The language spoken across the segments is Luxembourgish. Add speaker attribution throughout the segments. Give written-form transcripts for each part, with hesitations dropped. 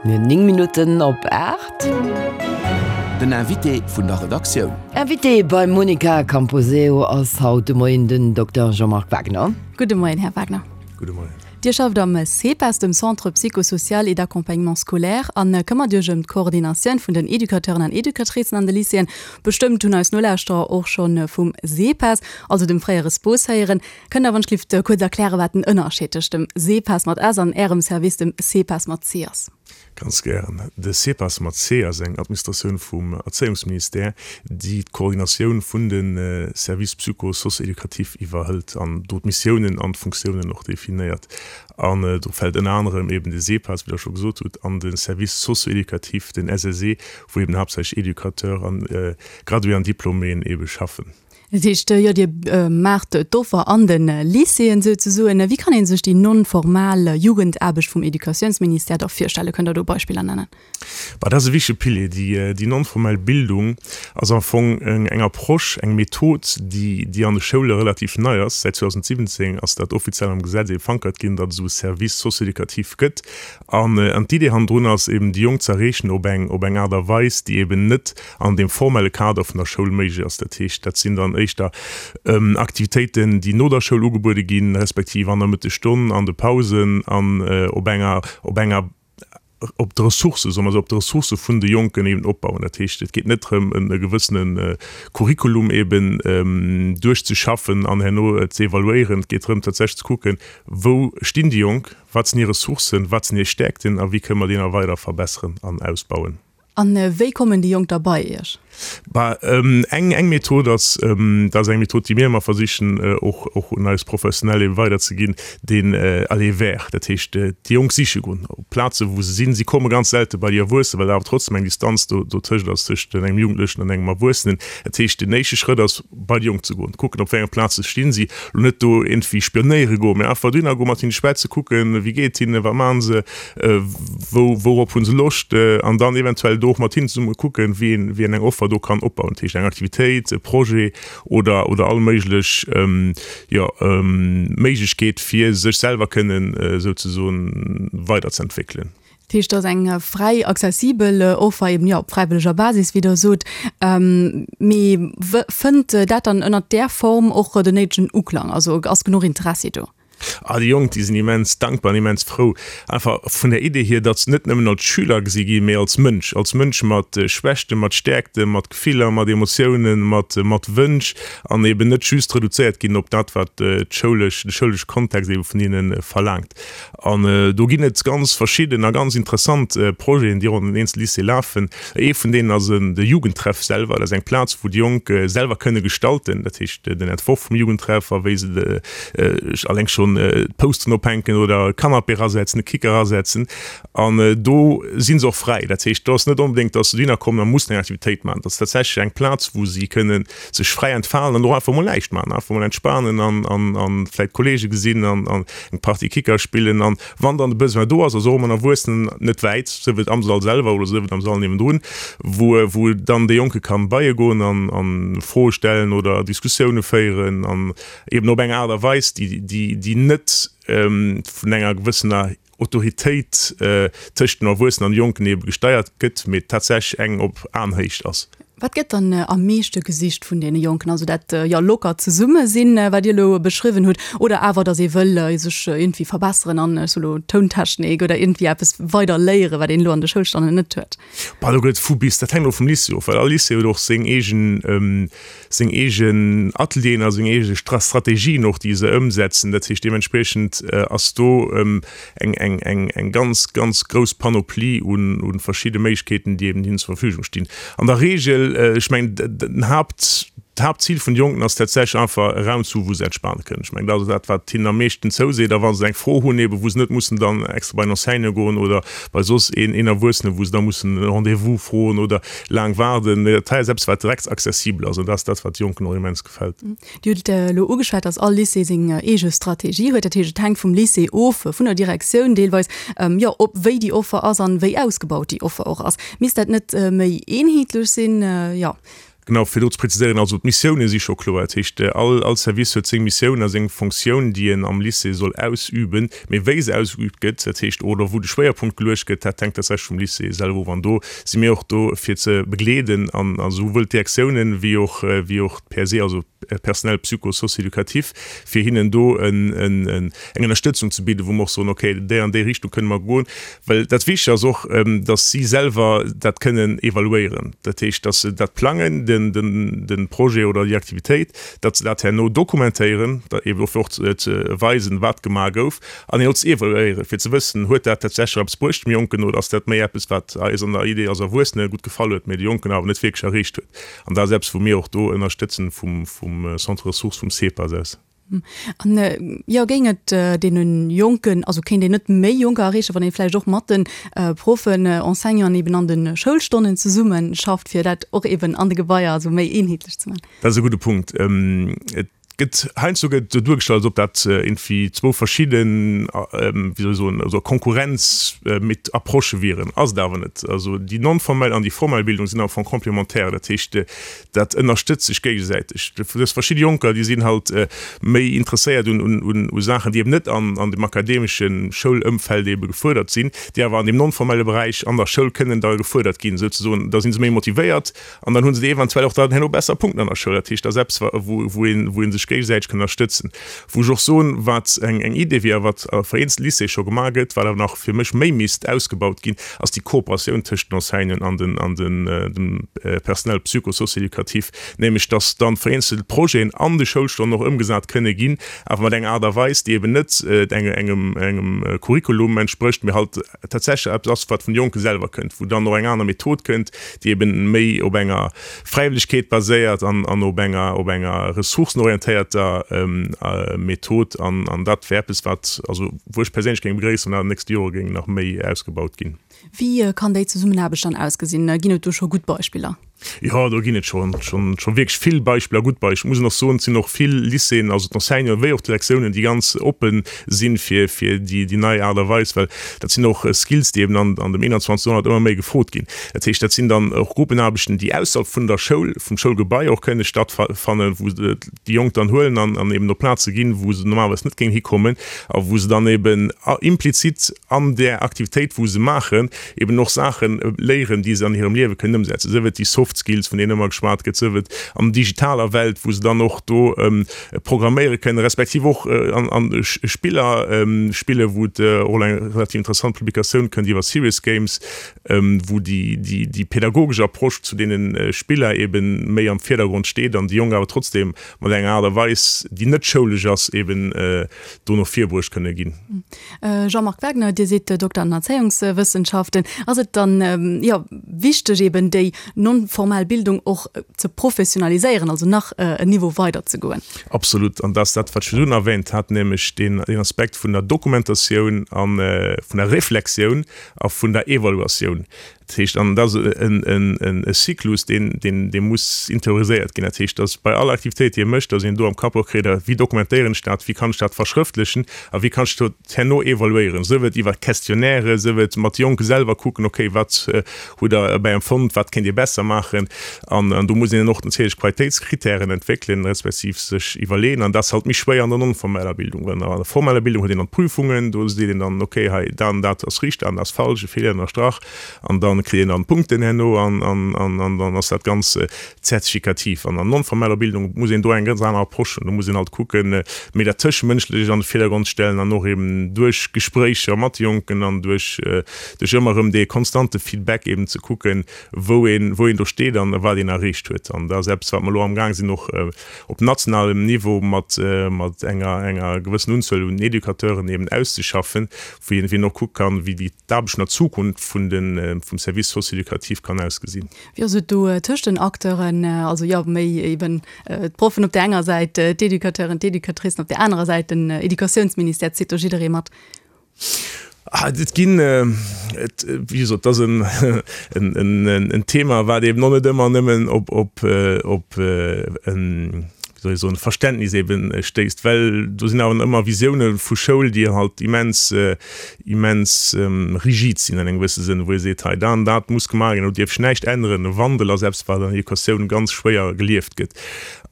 Speaker 1: Mir hunn 9 Minutten op 8.
Speaker 2: Den Invité vun der Redaktioun.
Speaker 1: Invité beim Monica Camposeo ass haut de Moien den Dokter Jean-Marc Wagner.
Speaker 3: Gudde Moien, Här Wagner.
Speaker 4: Gudde Moien.
Speaker 3: Dir schafft am CEPAS, dem Centre psychosocial et d'accompagnement scolaire, a këmmert Iech ëm d'Koordinatioun vun den Educateuren an Educatricen an de Lycéeën. Bestëmmt hunn eis Nolauschterer och scho vum SEPAS, also dem fréiere SPOS, héieren. Kënnt Der wann ech lift kuerz erklären, wat den Ënnerscheed tëscht dem SEPAS mat S an Ärem Service, dem CEPAS mat C ass?
Speaker 4: Ganz gären. De SEPAS mat C ass eng Administratioun vum Erzéiungsministère, déi d'Koordinatioun vun de Services psycho-socio-éducatifs iwwerhëlt an do d'Missiounen an d'Funktiounen och definéiert. An do fält ënner anerem eben de SEPAS, wéi Der scho gesot hutt, an de Service socio-éducatif, den SSE, wou eben haaptsächlech Educateurs an Graduéen an Diplôméen ebe schaffen.
Speaker 3: Dat heescht, jo, Dir maacht d'Offer an de Lycéeën souzesoen. Wéi kann ee sech déi non-formal Jugendaarbecht vum Educatiounsministère da virstellen? Kënnt Der do Beispiller nennen?
Speaker 4: Bah, dat ass e wichtege Pilier. Déi non-formell Bildung ass am Fong eng Approche, eng Method, déi, déi an de Schoule relativ nei ass. Säit 2017 ass dat offiziell am Gesetz ebe verankert ginn, datt et esou e Service socio-éducatif gëtt. An d'Idee hannendrun ass eben, déi Jonk ze erreechen op eng, op eng Aart a Weis, déi eben net an deem formelle Kader vun der Schoul méiglech ass. Dat heescht, dat sinn dann éischter Aktivitéiten, déi no der Schoul ugebuede ginn, respektiv an der Mëttesstonn, an de Pausen an op enger, op enger, op de Ressourcë, soe mer esou, op de Ressourcë vun de Jonken eben opbauen. Dat heescht, et geet net drëm, e gewëssene Curriculum eben duerchzeschaffen an herno ze evaluéieren. Et geet drëm, tatsächlech ze kucken, Wou stinn déi Jonk, wat sinn hir Ressourcen, wat sinn hir Stäerkten a wéi kënne mer déi nach weider verbesseren an ausbauen?
Speaker 3: A wéi kommen déi Jonk da bei Iech?
Speaker 4: Bah, eng, eng Method ass, dat ass eng Method, déi mir ëmmer versichen och, och un eis Professionell ebe weiderzeginn, deen Aller vers. Dat heescht, déi Jonk siche goen op Plazen, wou se sinn. Si komme ganz selte bei déi Erwuessen, well awer trotzdem eng Distanz do, dotëscht ass, tëscht engem Jugendlechen an engem Erwuessenen. Dat heescht, den éischte Schrëtt ass, bei déi Jonk ze goen, kucken, op wéi enger Plaz se stinn, si elo net do iergendwéi spionéiere goen, mä einfach dohinner goen, mat hinne schwätzen, kucken, wéi geet et hinnen, wat maachen se, wou, wourop hu se Loscht, an dann eventuell do och mat hinnen zesumme kucken, wéi een, wéi een eng Offer do kann opbauen, dat heescht eng Aktivitéit, e Projet oder, oder all méiglech, jo, Méiglechkeet, fir sech selwer kënnen souzesoen weiderzëentwéckelen.
Speaker 3: Dat heescht, et ass eng fräi accessibel Offer, eben, jo, op fräiwëlleger Basis, wéi Der sot. Mee fënnt dat dann ënnert där Form och den néidegen Uklang? Also ass genuch Interessi do?
Speaker 4: Ah, déi Jonk, déi sinn immens dankbar an immens frou, einfach vun der Idee hier, datt se net nëmmen als Schüler gesi ginn, mee als Mënsch, als Mënsch mat Schwächten, mat Stäerkten, mat Gefiller, mat Emotiounen, mat, mat Wënsch an eben net just reduzéiert ginn op dat, wat d'schoulesch, de schoulesche Kontext ebe vun hinne verlaangt. An do ginn et ganz verschidden a ganz interessant Projeten, déi och an den eenzele Lycéeë lafen. Ee vun deenen ass de Jugendtreff selwer. Dat ass eng Plaz, wou déi Jonk selwer kënne gestalten, dat heescht den Entworf vum Jugendtreff a wéi se alleng schonn d'Posteren ophänken oder e Canapé erasetzen, e Kicker erasetzen. An do si se och fräi. Dat heescht, do ass net onbedéngt, datt se dohinner kommen a mussen eng Aktivitéit maachen. Dat ass tatsächlech eng Plaz, wou si kënne sech fräi entfalen an och einfach mol näischt maachen, einfach mol entspanen an vläicht Kollege gesinn an eng Partie Kicker spillen an wann dann de Besoin do ass, ass och ëmmer en Erwuessenen net wäit, sief et am Sall selwer oder sief et am Sall niewendrun, wou wou dann dee Jonke kann bei e goen an an Froe stellen oder Diskussioune féieren an eben op eng Aart a Weis, déi déi déi net vun enger gewëssener Autoritéit tëscht den Erwuessenen an de Jonken ebe gesteiert gëtt, mee tatsächlech eng op Aenhéicht ass.
Speaker 3: Wat gëtt dann am meeschte gesicht vun deene Jonken? Also dat, jo, lockert Zesummesinn, wat Dir elo beschriwwen hutt, oder awer, datt ee wëll sech iergendwéi verbesseren an, ech soe lo, Tountechnik oder iergendwéi eppes weider léieren, wat een elo an de Schoulstonnen net huet?
Speaker 4: Bah, do gëtt vu bis. Dat hänkt och vum Lycée of, well all Lycée huet och seng eegen, seng eegen Atelieren a seng eege Strategien och, déi se ëmsetzen. Dat heescht, deementspriechend ass do eng, eng, eng, eng ganz, ganz grouss Panoplie un, un verschidde Méiglechkeeten, déi eben hinnen zur Verfügung stinn. An der Regel, ech mengen, den Haupt, d'Haaptzil vun de Jonken ass tatsächlech einfach e Raum ze hu wou se entspane kënnen. Ech mengen, dat ass dat, wat hinnen am meeschten zouseet. A wa se eng Fro hunn, eben wou se net mussen dann extra bei en Enseignant goen oder bei soss een, een Erwuessenen, wou se da mussen e Rendez-vous froen oder laang waarden. Mee dat hei ass eppes, wat direkt accessibel ass an dat ass dat, wat de Jonken och immens gefält.
Speaker 3: Dir hutt elo ugeschwat, dass all Lycée seng eege Strategie huet. Dat heescht, et hänkt vum Lycée of, vun der Direktioun deelweis, jo, ob wéi déi Offer ass an wéi ausgebaut déi Offer och ass. Misst dat net méi eenheetlech sinn? Jo.
Speaker 4: Genau, fir do ze präziséieren, also d'Missioune si scho kloer. Dat heescht, all, all Service huet seng Missioun a seng Fonctioun, déi en am Lycée soll ausüben. Mee wéi se ausgeübt gëtt, dat heescht, oder wou de Schwéierpunkt geluecht gëtt, dat hänkt tatsächlech vum Lycée selwer of. An do si mir och do, fir ze begleeden an esouwuel d'Direktiounen wéi och, wéi och d'PSE, also Personnel psycho-socio-éducatif, fir hinnen do en, en, eng Ënnerstëtzung ze bidden, wou mer och soen, okay, déi an déi Richtung kënne mer goen. Well dat Wichtig ass och, dass si selwer dat kënnen evaluéieren. Dat heescht, dass se dat plangen, de Projet oder déi Aktivitéit, datt se dat herno dokumentéieren, eeben och fir och ze weisen, wat gemaach gouf, an herno ze evaluéieren, fir ze wëssen, huet dat tatsächlech eppes bruecht dem Jonken oder ass dat méi eppes, wat eis an der Idee als Erwuessene gutt gefall huet, mee de Jonken awer net wierklech erreecht huet. An dat ass eppes, wou mir och do ënnerstëtzen vum Centre ressources vum CEPAS aus.
Speaker 3: An jo, géing et deene Jonken, also kéint een net méi Jonker erreechen, wann ee vläicht och mat de Proffen, Enseignanten eben an de Schoulstonnen zesumme schafft, fir dat och eben an de Gebaier also méi eenheetlech ze maachen?
Speaker 4: Dat ass e gudde Punkt. Et gëtt heiansdo gëtt esou duergestallt, als ob dat iergendwéi zwou verschidden, wéi soll ech soen, also Konkurrenz mit Approchë wieren. Ass et awer net. Also déi non-formell an déi formell Bildung sinn am Fong complémentaire. Dat heescht, Dat ënnerstëtzt sech géigesäiteg. Du hues verschidde Jonker, déi sinn halt méi interesséiert un u Saachen, déi eben net an an dem akademesche Schoulëmfeld ebe gefuerdert sinn, déi awer an deem non-formelle Beräich an der Schoul kënnen da gefuerdert ginn, souzesoen. Da si se méi motivéiert an dann hu se eventuell och dann herno besser Punkten an der Schoul. Dat heescht, dat ass eppes, wou wou een wou ee sech géigesäiteg kann ënnerstëtzen. Wou ech och soen, wat eng eng Idee wier a wat a vereenzelt Lycéeë scho gemaach gëtt, wat awer nach fir mech méi misst ausgebaut ginn, ass déi Kooperatioun tëscht den Enseignanten an den an den dem Personnel psycho-socio-éducatif, nämlech dass dann vereenzelt Projeten an de Schoulstonnen och ëmgesat kënne ginn, awer mat enger Aart a Weis, déi eben net engem engem Curriculum entsprécht, mee halt tatsächlech eppes ass, wat vun de Jonke selwer kënnt, wou dann och eng aner Method kënnt, déi eben méi op enger Fräiwëllegkeet baséiert an an op enger op enger ressourcenorientéierter Method. An an dat wär eppes, wat, also wou ech perséinlech géing begréissen, wann dat an den nächste Jore géing nach méi ausgebaut ginn.
Speaker 3: Wéi kann déi Zesummenaarbecht dann ausgesinn? Ginn et do scho gutt Beispiller?
Speaker 4: Jo, do ginn et scho scho wierklech vill Beispiller, gutt Beispiller. Ech muss och soen, et sinn och vill Lycéeën, also d'Enseignanten wéi och d'Direktiounen, déi ganz oppe sinn fir fir déi déi nei Aart a Weis, well dat sinn och Skills, déi eben an an dem 21. Joerhonnert ëmmer méi gefrot ginn. Dat heescht, dat sinn dann och Gruppenaarbechten, déi ausserhalb vun der Schoul, vum Schoulgebai och kënne stattfannen, wou déi Jonk dann huelen an an eben op Plaze ginn, wou se normalerweis net géingen hikommen a wou se dann eben implizit an där Aktivitéit, wou se maachen, eben och Saache léieren, déi se an hirem Liewe kënnen ëmsetzen, sief et déi Soft Skills, vun deenen ëmmer geschwat gëtt, sief et an digitaler Welt, wou se dann och do programméiere kënnen, respektiv och an Spiller spillen, wou et och elo eng relativ interessant Publikatioun kënnt iwwer Serious Games, wou déi pädagogesch Approche zu deene Spiller eben méi am Virdergrond steet an déi Jonk awer trotzdem mat enger Aart a Weis, déi net schoulesch ass, eben do no vir bruecht kënne ginn.
Speaker 3: Jean-Marc Wagner, Dir sidd Dokter an Erzéiungswëssenschaften. Ass et dann, jo, wichteg eben déi non-formell Bildung och ze professionaliséieren, also nach en Niveau weider ze goen?
Speaker 4: Absolut. An dat ass dat, wat ech virdrun erwähnt hat, nämlech deen Aspekt vun der Dokumentatioun a vun der Reflexioun a vun der Evaluatioun. Dat heescht, an dat ass e Zyklus, deen, deen, dee muss interioriséiert ginn. Dat heescht, dass bei all Aktivitéit, déi ee mécht, dass een do am Kapp och kritt, Wéi dokumentéieren ech dat, wéi kann ech dat verschrëftlechen a wéi kann ech dat herno evaluéieren, sief et iwwer Questionnairen, sief et mat de Jonke selwer kucken, okay, wat hutt Der dobäi empfonnt, wat kéint Dir besser maachen. An do muss een och natierlech Qualitéitskritären entwéckelen, respektiv sech iwwerleeën. An dat ass halt méi schwéier an der non-formeller Bildung, well an der formeller Bildung huet een dann d'Prüfungen, do seet een dann, okay, hei dat an dat ass richteg, dat an dat ass falsch, e Feeler ënnerstrach, an da kritt een dann Punkten herno an dann ass dat Ganz zertifikativ. An der non-formeller Bildung muss een do eng ganz aner Approche hunn. Do muss een halt kucken, méi dat Tëschemënschlecht an de Virdergrond stellen an och eben duerch Gespréicher mat de Jonken an duerch ëmmer erëm dee konstante Feedback eben ze kucken, wou een, wou een do steet an wat een erreecht huet. An dat ass eppes, wat mer elo amgaang sinn och op nationalem Niveau mat, mat enger, enger gewëssen Unzuel un Educateuren eben auszeschaffen, wou een, wou een och kucke kann, wéi déi d'Aarbecht an der Zukunft vun den, vum Service socio-éducatif kann ausgesinn.
Speaker 3: Wéi ass et do tëscht den Acteuren, also jo méi eben d'Proffen op där enger Säit, d'Educateuren, d'Educatricen op där anerer Säit, den Educatiounsministère, zitt do jidderee mat?
Speaker 4: Et ginn, wéi gesot, et ass en Thema, wat eben och net ëmmer nëmmen op, op, op en, wéi. soll ech soen, Verständnis eben stéisst, well do sinn awer ëmmer Visioune vu Schoul, déi halt immens, immens rigid sinn an engem gewësse Sënn, wou ee seet, hei dat an dat muss gemaach ginn, do dierf sech näischt änneren. E Wandel ass eppes, wat an der Educatioun ganz schwéier gelieft gëtt.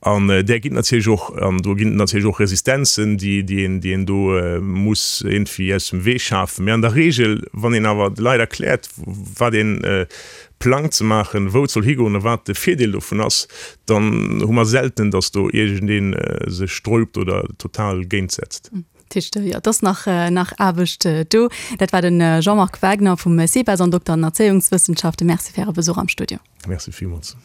Speaker 4: An där ginn et natierlech och, an do ginn et natierlech och Resistenzen, déi, déi een, déi een do muss iergendwéi aus dem Wee schafen. Mee an der Regel, wann een awer de Leit erkläert, wat een plangt ze maachen, wou et soll higoen a wat de Virdeel dovun ass, dann hu mer selten, datt do iergendee sech sträubt oder total géintsetzt.
Speaker 3: Dat heescht, jo, et ass nach, nach Aarbecht do. Dat war de Jean-Marc Wagner vum CEPAS an Dokter an Erzéiungswëssenschaften. Merci fir Äre Besuch am Studio.
Speaker 4: Merci villmools.